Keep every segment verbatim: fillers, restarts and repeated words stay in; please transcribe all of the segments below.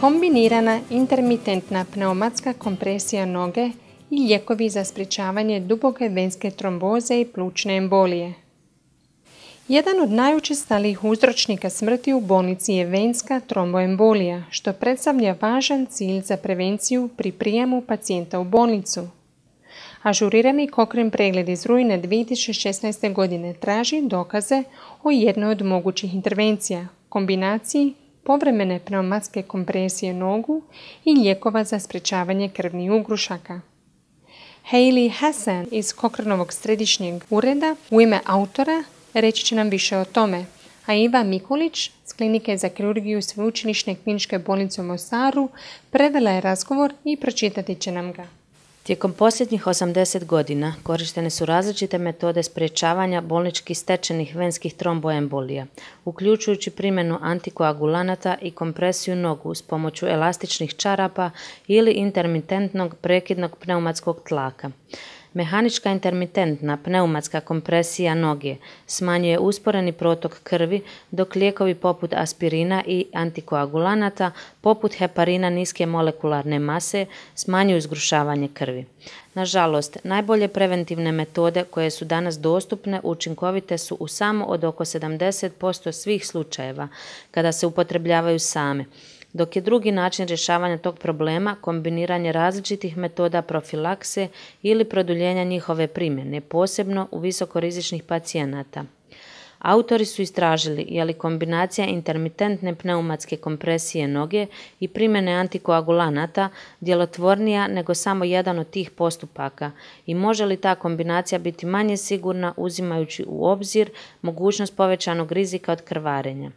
Kombinirana intermitentna pneumatska kompresija noge i lijekovi za sprječavanje duboke venske tromboze i plućne embolije. Jedan od najučestalijih uzročnika smrti u bolnici je venska tromboembolija, što predstavlja važan cilj za prevenciju pri prijemu pacijenta u bolnicu. Ažurirani Cochrane pregled iz rujna dvije tisuće šesnaeste. godine traži dokaze o jednoj od mogućih intervencija, kombinaciji povremene pneumatske kompresije nogu i lijekova za sprječavanje krvnih ugrušaka. Hayley Hassan iz Cochranovog središnjeg ureda u ime autora reći će nam više o tome, a Iva Mikulić s Klinike za kirurgiju Sveučilišne kliničke bolnice u Mostaru prevela je razgovor i pročitati će nam ga. Tijekom posljednjih osamdeset godina korištene su različite metode sprječavanja bolnički stečenih venskih tromboembolija, uključujući primjenu antikoagulanata i kompresiju nogu s pomoću elastičnih čarapa ili intermitentnog prekidnog pneumatskog tlaka. Mehanička intermitentna pneumatska kompresija noge smanjuje usporeni protok krvi, dok lijekovi poput aspirina i antikoagulanata, poput heparina niske molekularne mase, smanjuju zgrušavanje krvi. Nažalost, najbolje preventivne metode koje su danas dostupne učinkovite su u samo od oko sedamdeset posto svih slučajeva kada se upotrebljavaju same, dok je drugi način rješavanja tog problema kombiniranje različitih metoda profilakse ili produljenja njihove primjene, posebno u visokorizičnih pacijenata. Autori su istražili je li kombinacija intermitentne pneumatske kompresije noge i primjene antikoagulanata djelotvornija nego samo jedan od tih postupaka i može li ta kombinacija biti manje sigurna uzimajući u obzir mogućnost povećanog rizika od krvarenja.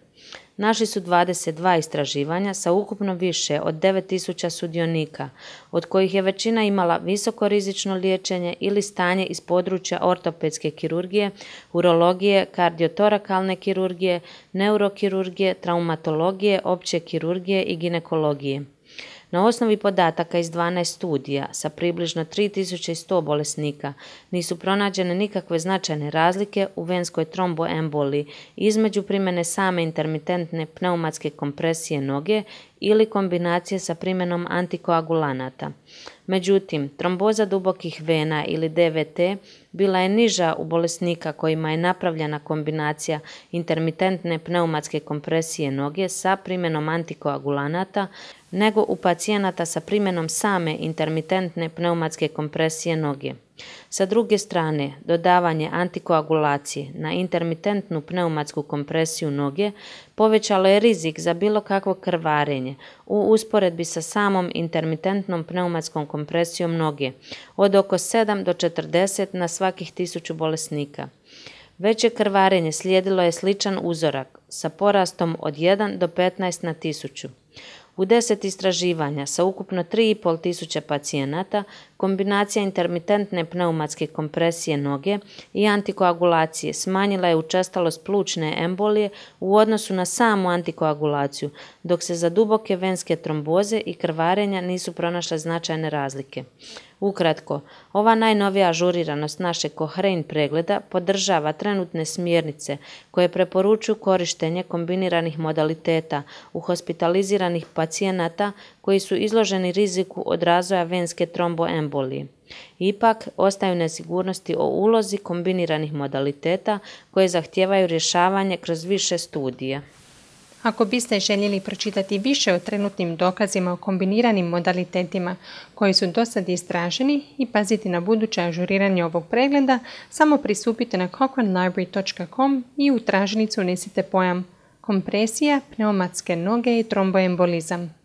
Našli su dvadeset dva istraživanja sa ukupno više od devet tisuća sudionika, od kojih je većina imala visokorizično liječenje ili stanje iz područja ortopedske kirurgije, urologije, kardiotorakalne kirurgije, neurokirurgije, traumatologije, opće kirurgije i ginekologije. Na osnovi podataka iz dvanaest studija sa približno tri tisuće sto bolesnika nisu pronađene nikakve značajne razlike u venskoj tromboemboliji između primjene same intermitentne pneumatske kompresije noge ili kombinacije sa primjenom antikoagulanata. Međutim, tromboza dubokih vena ili D V T bila je niža u bolesnika kojima je napravljena kombinacija intermitentne pneumatske kompresije noge sa primjenom antikoagulanata nego u pacijenata sa primjenom same intermitentne pneumatske kompresije noge. Sa druge strane, dodavanje antikoagulacije na intermitentnu pneumatsku kompresiju noge povećalo je rizik za bilo kakvo krvarenje u usporedbi sa samom intermitentnom pneumatskom kompresijom noge od oko sedam do četrdeset na svakih tisuću bolesnika. Veće krvarenje slijedilo je sličan uzorak sa porastom od jedan do petnaest na tisuću. U deset istraživanja sa ukupno tri i pol tisuće pacijenata, kombinacija intermitentne pneumatske kompresije noge i antikoagulacije smanjila je učestalost plućne embolije u odnosu na samu antikoagulaciju, dok se za duboke venske tromboze i krvarenja nisu pronašle značajne razlike. Ukratko, ova najnovija ažuriranost našeg Cochrane pregleda podržava trenutne smjernice koje preporučuju korištenje kombiniranih modaliteta u hospitaliziranih pacijenata koji su izloženi riziku od razvoja venske tromboembolije. Ipak, ostaju nesigurnosti o ulozi kombiniranih modaliteta koje zahtijevaju rješavanje kroz više studija. Ako biste željeli pročitati više o trenutnim dokazima o kombiniranim modalitetima koji su do sad istraženi i paziti na buduće ažuriranje ovog pregleda, samo pristupite na cochrane library dot com i u tražilicu unesite pojam kompresija, pneumatske noge i tromboembolizam.